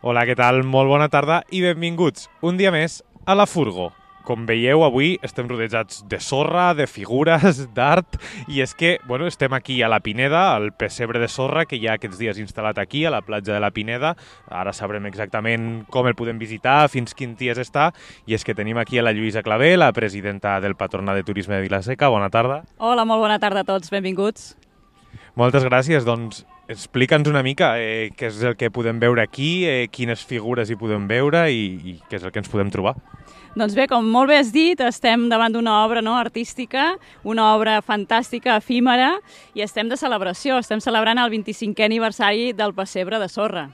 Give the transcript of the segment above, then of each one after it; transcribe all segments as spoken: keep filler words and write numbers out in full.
Hola, què tal? Molt bona tarda i benvinguts un dia més a La Furgo. Com veieu, avui estem rodejats de sorra, de figures, d'art, i és que bueno, estem aquí a la Pineda, al pessebre de sorra que hi ha aquests dies instal·lat aquí, a la platja de la Pineda. Ara sabrem exactament com el podem visitar, fins quins dies està, i és que tenim aquí a la Lluïsa Clavé, la presidenta del Patronat de Turisme de Vila-seca. Bona tarda. Hola, molt bona tarda a tots, benvinguts. Moltes gràcies. Doncs explica'ns una mica eh, què és el que podem veure aquí, eh, quines figures hi podem veure i, i què és el que ens podem trobar. Doncs bé, com molt bé has dit, estem davant d'una obra no, artística, una obra fantàstica, efímera, i estem de celebració, estem celebrant el vint-i-cinquè aniversari del pessebre de sorra.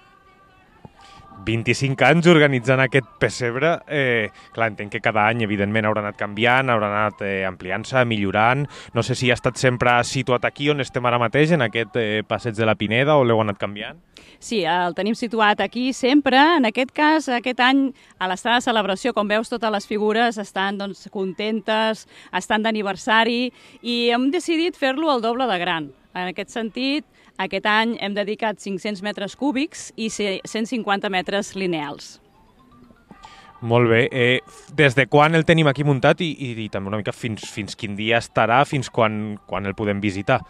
vint-i-cinc anys organitzant aquest pessebre. Eh, clar, entenc que cada any, evidentment, haurà anat canviant, haurà anat eh, ampliant-se, millorant. No sé si ha estat sempre situat aquí on estem ara mateix, en aquest eh, passeig de la Pineda, o l'heu anat canviant? Sí, el tenim situat aquí sempre. En aquest cas, aquest any, a l'estat de celebració, com veus, totes les figures estan doncs, contentes, estan d'aniversari, i hem decidit fer-lo el doble de gran. En aquest sentit, aquest any hem dedicat cinc-cents metres cúbics i cent cinquanta metres lineals. Molt bé. Eh, des de quan el tenim aquí muntat i, i, i també una mica fins, fins quin dia estarà, fins quan, quan el podem visitar?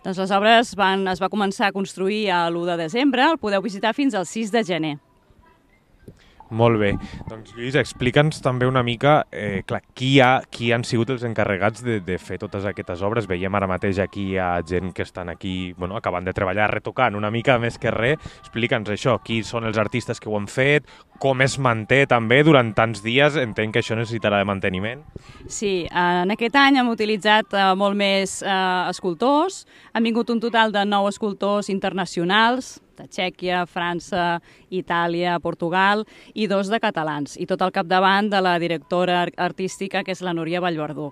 Doncs les obres van, es va començar a construir l'u de desembre, el podeu visitar fins al sis de gener. Molt bé. Doncs, Lluís, explica'ns també una mica eh, clar, qui, ha, qui han sigut els encarregats de, de fer totes aquestes obres. Veiem ara mateix aquí hi ha gent que estan aquí bueno, acabant de treballar, retocant una mica més que res. Explica'ns això, qui són els artistes que ho han fet, com es manté també durant tants dies. Entenc que això necessitarà de manteniment. Sí, en aquest any hem utilitzat eh, molt més eh, escultors. Han vingut un total de nou escultors internacionals, de Txèquia, França, Itàlia, Portugal i dos de catalans, i tot al capdavant de la directora artística, que és la Núria Vallverdú.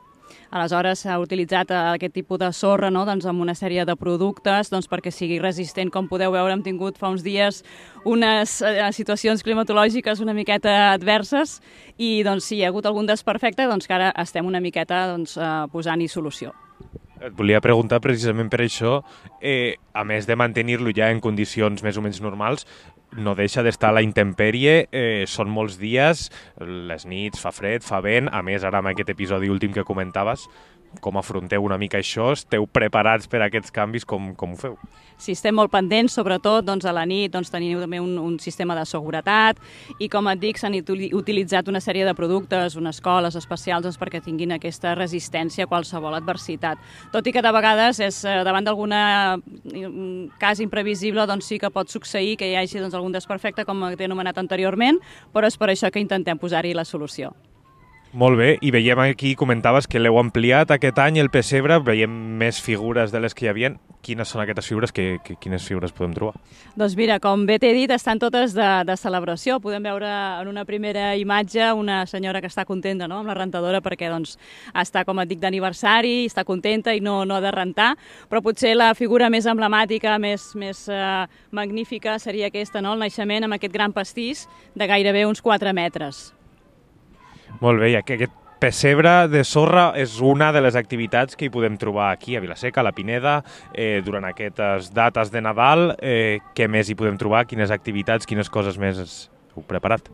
Aleshores s'ha utilitzat aquest tipus de sorra no? doncs amb una sèrie de productes doncs, perquè sigui resistent. Com podeu veure, hem tingut fa uns dies unes eh, situacions climatològiques una miqueta adverses i doncs, si hi ha hagut algun desperfecte, doncs, que ara estem una miqueta doncs, eh, posant-hi solució. Et volia preguntar precisament per això, eh, a més de mantenir-lo ja en condicions més o menys normals, no deixa d'estar a la intempèrie, eh, són molts dies, les nits, fa fred, fa vent, a més ara amb aquest episodi últim que comentaves, com afronteu una mica això? Esteu preparats per a aquests canvis? Com, com ho feu? Sí, estem molt pendents, sobretot doncs, a la nit doncs, teniu també un, un sistema de seguretat i, com et dic, s'han utilitzat una sèrie de productes, unes coles especials doncs, perquè tinguin aquesta resistència a qualsevol adversitat. Tot i que de vegades és davant d'algun cas imprevisible doncs, sí que pot succeir que hi hagi doncs, algun desperfecte, com t'he anomenat anteriorment, però és per això que intentem posar-hi la solució. Molt bé, i veiem aquí, comentaves que l'heu ampliat aquest any, el pessebre, veiem més figures de les que hi havia. Quines són aquestes figures? Que, que, quines figures podem trobar? Doncs mira, com bé t'he dit, estan totes de, de celebració. Podem veure en una primera imatge una senyora que està contenta no? amb la rentadora perquè doncs, està, com et dic, d'aniversari, està contenta i no, no ha de rentar, però potser la figura més emblemàtica, més, més eh, magnífica seria aquesta, no? El naixement amb aquest gran pastís de gairebé uns quatre metres. Molt bé, i aquest pessebre de sorra és una de les activitats que hi podem trobar aquí a Vila-seca, a la Pineda, eh, durant aquestes dates de Nadal. Eh, què més hi podem trobar? Quines activitats, quines coses més heu preparat?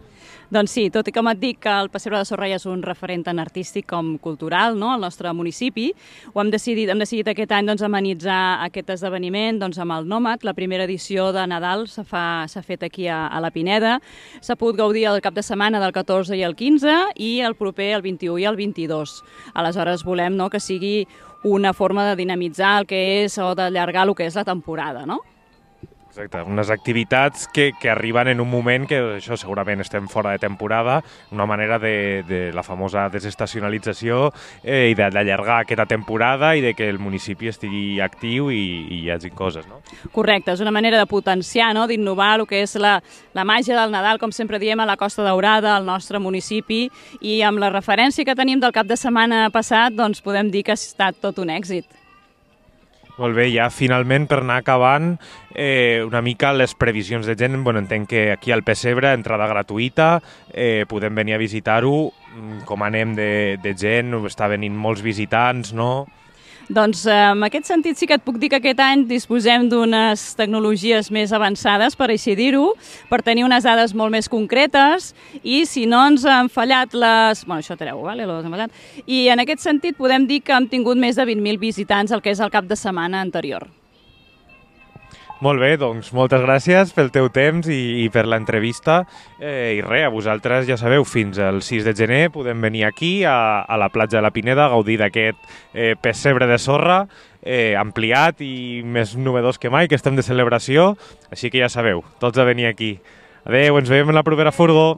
Doncs sí, tot i com et dic que el pessebre de sorra ja és un referent tant artístic com cultural no? al nostre municipi, ho hem decidit, hem decidit aquest any doncs, amenitzar aquest esdeveniment doncs, amb el Nòmad. La primera edició de Nadal s'ha fet aquí a, a la Pineda. S'ha pogut gaudir el cap de setmana del catorze i el quinze i el proper el vint-i-u i el vint-i-dos. Aleshores volem no, que sigui una forma de dinamitzar el que és o d'allargar el que és la temporada, no? Exacte, unes activitats que, que arriben en un moment que això segurament estem fora de temporada, una manera de, de la famosa desestacionalització eh, i d'allargar aquesta temporada i de que el municipi estigui actiu i, i hi hagi coses, no? Correcte, és una manera de potenciar, no? d'innovar el que és la, la màgia del Nadal, com sempre diem, a la Costa Daurada, al nostre municipi, i amb la referència que tenim del cap de setmana passat, doncs podem dir que ha estat tot un èxit. Molt bé, ja finalment per anar acabant eh, una mica les previsions de gent. Bueno, entenc que aquí al pessebre, entrada gratuïta, eh, podem venir a visitar-ho. Com anem de, de gent? Està venint molts visitants, no? Doncs eh, en aquest sentit sí que et puc dir que aquest any disposem d'unes tecnologies més avançades, per així dir-ho, per tenir unes dades molt més concretes i si no ens han fallat les... Bueno, això treu, vale? I en aquest sentit podem dir que hem tingut més de vint mil visitants el que és el cap de setmana anterior. Molt bé, doncs moltes gràcies pel teu temps i, i per l'entrevista. Eh, I res, a vosaltres ja sabeu, fins al sis de gener podem venir aquí a, a la platja de la Pineda a gaudir d'aquest eh, pessebre de sorra eh, ampliat i més novedós que mai, que estem de celebració. Així que ja sabeu, tots a venir aquí. Adéu, ens veiem en la propera furgo.